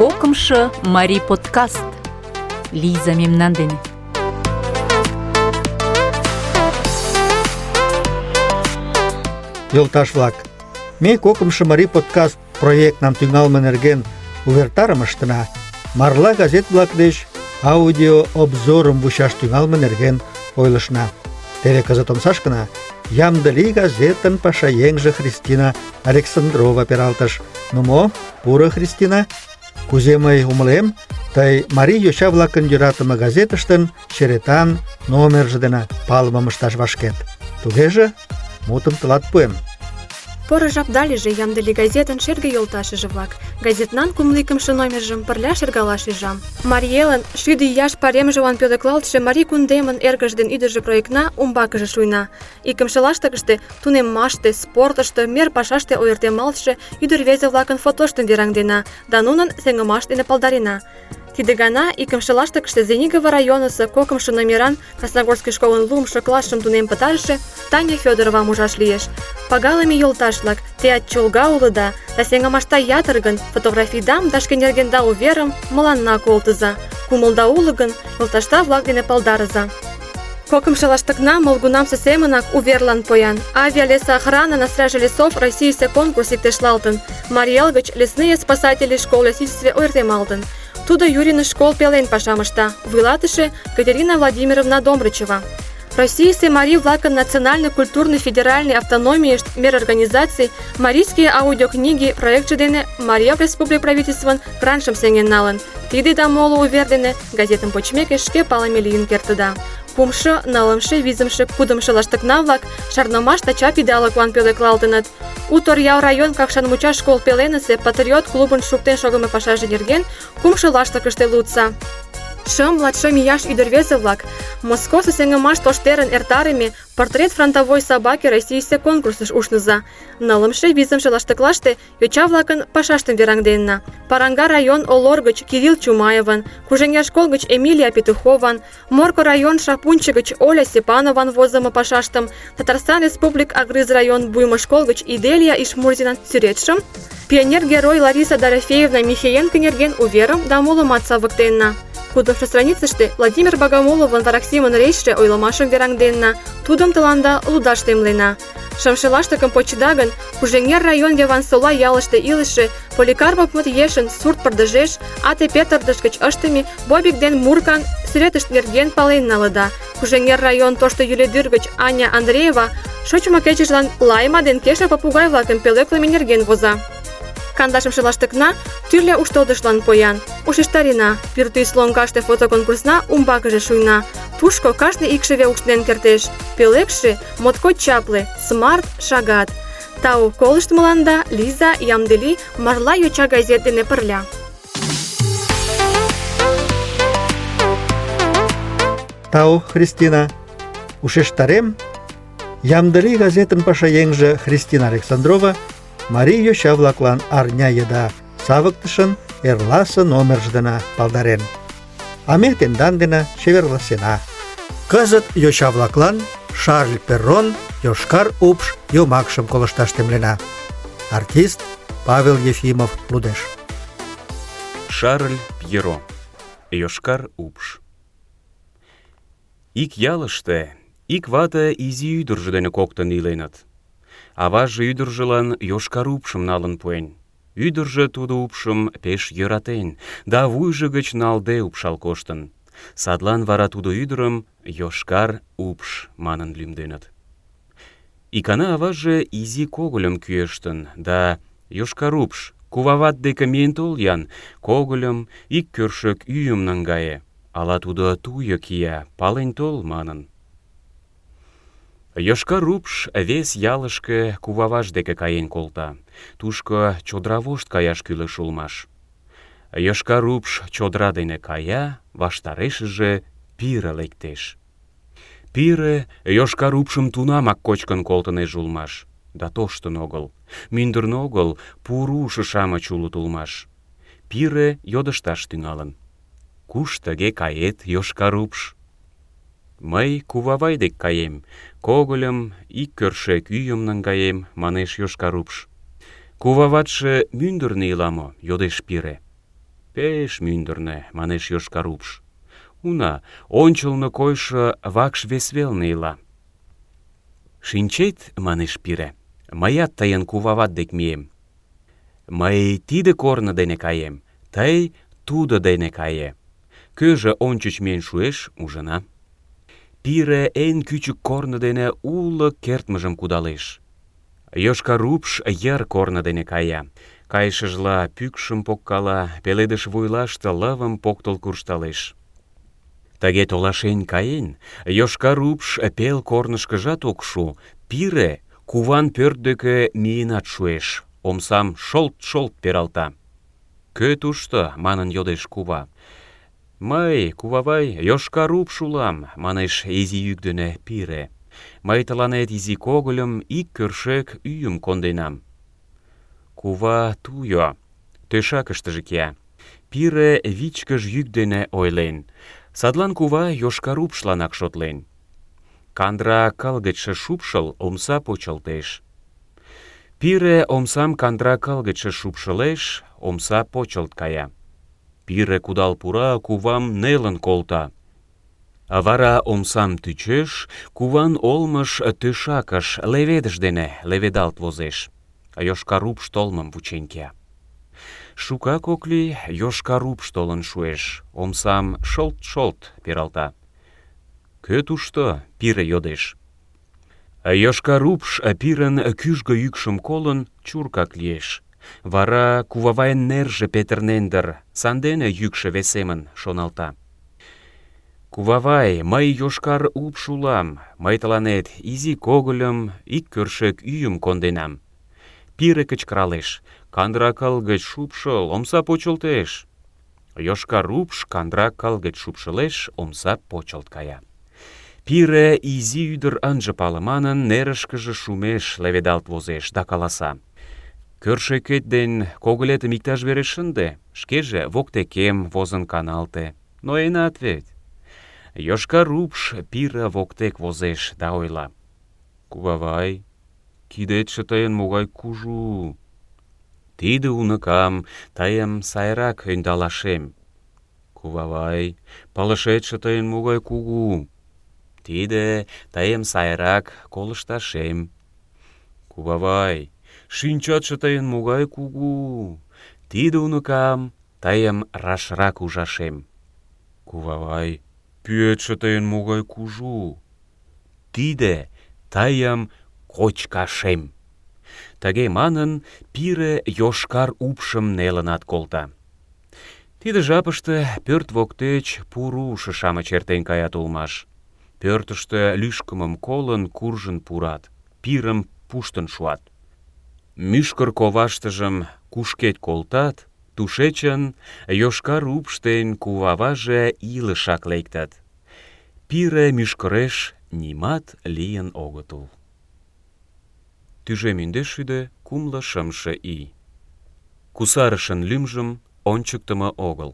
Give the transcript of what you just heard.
Кокымшо марий подкаст. Лиза мемнан дене. Йолташ-влак, ме кокымшо марий подкаст проектнам тӱҥалме нерген увертарым ыштена. Марла газет-влак деч аудио обзорым вучаш тӱҥалме нерген ойлышна. Теве кызыт омсашкына «Ямде лий» газетын пашаеҥже Христина Александрова пералтыш. Ну мо, пуро, Христина? Кузе мый умылем, тый марий йоча-влакын йӧратыме газетыштын черетан номерже дене палымым ышташ вашкет. Тугеже мутым тылат пуэм. Поро жапда лийже «Ямде лий» газетын шерге йолташыже-влак. Газетнан 52-ымше номержым пырля шергалаш ӱжам. Марий элын 50 ияш паремжылан пӧлеклалтше Марий кундемын эргыж ден ӱдыржӧ проектна умбакыже шуйна. Икымше лаштыкыште тунеммаште, спортышто, мер пашаште ойыртемалтше ӱдыр-рвезе-влакын фотоштым вераҥдена да нунын сеҥымаш дене палдарена. Тиде гана икымше лаштыкыште Звенигово районысо 2-ымшо номеран Красногорский школын 2-ымшо классшым тунем пытарыше Таня Фёдоровам ужаш лиеш. Пагалыме йолташ-влак, теат чолга улыда, да сеҥымашда ятыр гын, фотографийдам да шке нергенда уверым мыланна колтыза. Кумылда уло гын, йолташда-влак дене палдарыза. 2-ымшо лаштыкна молгунамсе семынак уверлан поян. Авиалесоохрана на страже лесов Российысе конкурс иктешлалтын. Марий эл гыч лесные спасатели школ лесительстве ойыртемалтын. Тудо Юрин школ пелен пашам ышта, вуйлатыше Катерина Владимировна Домрачева. Российысе марий-влакын национально-культурный федеральный автономийышт мер организаций марийские аудиокниги проектше дене Марий эл республик правительствын грантшым сеҥен налын. Тиде да моло увер дене газетым почмеке шке палыме лийын кертыда. 3-ымше, 4-ымше, 5-ымше, 6-ымше лаштыкна-влак шарнымаш да чап идалыклан пӧлеклалтыныт. У Торъял район Какшан мучаш школ пеленысе патриот клубын шуктен шогымо пашаже нерген 3-шо лаштыкыште лудса. 5-6 ияш ӱдыр-рвезе-влак Москосо сеҥымаш тоштерын эртарыме портрет фронтовой собаки Российысе конкурсыш ушныза. 4-ымше, 5-ымше лаштыклаште йоча-влакын пашаштым вераҥденна. Паранга район Олор гыч Кирилл Чумаеван, Кужеҥер школ гыч Эмилия Петухован, Морко район Шапунчи гыч Оля Степанован возымо пашаштым, Татарстан Республик Агрыз район Буймо школ гыч Иделия Ишмурзинан сӱретшым, пионер-герой Лариса Дорофеевна Михеенко нерген уверым да молымат савыктенна. 6-ымшо страницыште Владимир Богомоловын вараксимын речше ойлымашым вераҥденна, тудым тыланда лудаш темлена. 5-ше лаштыкым почыда гын, Кужеҥер район Явансола ялыште илыше Поликарпов ешын сурт пырдыжеш ате петырдыш гыч ыштыме Бобик ден Муркан сӱретышт нерген пален налыда. Кужеҥер район Тошто Юледӱр гыч Аня Андреева шочмо кечыжлан Лайма ден Кеша попугай-влакым пӧлеклыме нерген воза. 15-ше лаштыкна тӱрлӧ уштылдышлан поян. Ушештарена, пӱртӱс лоҥгаште фотоконкурсна умбакыже шуйна. Тушко кажне икшыве ушнен кертеш. Пӧлекше моткоч чапле, смарт, шагат. Тау колыштмыланда Лиза, Ямде лий марла йоча газет дене пырля. Тау, Христина. Ушештарем, «Ямде лий» газетын пашаеҥже Христина Александрова марий йоча-влаклан арня еда савыктышын эрласе номерже дене палдарен. А ме тендан дене чеверласена. Кызыт йоча-влаклан Шарль Перрон «Йошкар упш» йомакшым колышташ темлена. Артист Павел Ефимов лудеш. Шарль Пьеро «Йошкар упш». Ик ялыште ик вате изи ӱдыржӧ дене коктын иленыт. Аваже ӱдыржылан йошкар упшым налын пуэн. Ӱдыржӧ тудо упшым пеш йӧратен да вуйжо гыч налде упшал коштын. Садлан вара тудо ӱдырым Йошкар упш манын лӱмденыт. Икана аваже изи когыльым кӱэштын да «Йошкар упш, кувават деке миен тол-ян, когыльым, ик кӧршӧк ӱйым наҥгае, ала тудо туйо кия, пален тол» манын. Йошкар упш вес ялышке куваваж деке каен колта. Тушко чодыра вошт каяш кӱлеш улмаш. Йошкар упш чодыра дене кая, ваштарешыже пире лектеш. Пире Йошкар упшым тунамак кочкын колтынеж улмаш. Да тоштын огыл, мӱндырнӧ огыл, пурушо-шамыч улыт улмаш. Пире йодышташ тӱҥалын. «Куш тыге кает, Йошкар упш?» «Мый кувавай дек каем, когыльым, ик кӧршӧк ӱйым наҥгаем», — манеш Йошкар упш. «Куваватше мӱндырнӧ ила мо?» — йодеш пире. Пеш мӱндырнӧ, манеш йошкар упш. Уна, ончылно койшо вакш вес велне ила. Шинчет, манеш пире, мыят тыйын кувават дек мием. Мый тиде корно дене каем, тый тудо дене кае. Кӧжӧ ончыч миен шуэш, ужына. Пире эн кӱчык корно дене уло кертмыжым кудалеш. Йошкар упш йыр корно дене кая. Кайышыжла пӱкшым поккала, пеледыш вуйлаште лывым поктыл куржталеш. Тыге толашен каен, йошкар упш пел корнышкыжат ок шу, пире куван пӧрт деке миенат шуэш, омсам шолт-шолт пералта. «Кӧ тушто?» манын йодеш кува. «Мый, кувавай, йошкар упш улам», манеш изи йӱк дене пире. «Мый тыланет изи когыльым, ик кӧршӧк ӱйым конденам». Кува туйо, тӧшакыштыже кия. Пире вичкыж йӱк дене ойлен. Садлан кува йошкар упшланак шотлен. Кандыра кыл гычше шупшыл, омса почылтеш. Пире омсам кандыра кыл гычше шупшылеш, омса почылт кая. Пире кудал пура, кувам нелын колта. А вара омсам тӱчеш, куван олмыш тӧшакыш леведыш дене леведалт возеш. Йошкар упш толмым вучен кия. Шукак ок лий, йошкар упш толын шуэш, омсам шолт-шолт пералта. «Кӧ тушто?» пире йодеш. Йошкар упш пирын кӱжгӧ йӱкшым колын, чуркак лиеш. Вара кувавайын нерже петырнен дыр, сандене йӱкшӧ весемын, шоналта. «Кувавай, мый йошкар упш улам, мый тыланет изи когыльым, ик кӧршӧк ӱйым конденам». Пире кычкыралеш. «Кандыра кыл гыч шупшыл, омса почылтеш». Йошкар упш кандыра кыл гыч шупшылеш, омса почылт кая. Пире изи ӱдыр ынже пале манын, нерышкыже шумеш леведалт возеш да каласа. «Кӧршӧкет ден когылетым иктаж вере шынде, шкеже воктекем возын каналте. Ноенат вет». Йошкар упш пире воктек возеш да ойла. «Кувавай, кидетше тыйын могай кужу. Тиде уныкам тыйым сайрак ӧндалашем. Кувавай, пылышетше тыйын могай кугу. Тиде тыйым сайрак колышташем. Кувавай, шинчатше тыйын могай кугу. Тиде уныкам тыйым рашрак ужашем. Кувавай, пӱетше тыйын могай кужу. Тиде тыйым кочкашем». Тыге манын, пире йошкар упшым нелынат колта. Тиде жапыште пӧрт воктеч пурушо-шамыч эртен каят улмаш. Пӧртыштӧ лӱшкымым колын, куржын пурат, пирым пуштын шуат. Мӱшкыр коваштыжым кушкед колтат, тушечын йошкар упш ден куваваже илышак лектат. Пире мӱшкыреш нимат лийын огытыл. Тӱжем индешшӱдӧ кумло шымше ий. Кусарышын лӱмжым ончыктымо огыл.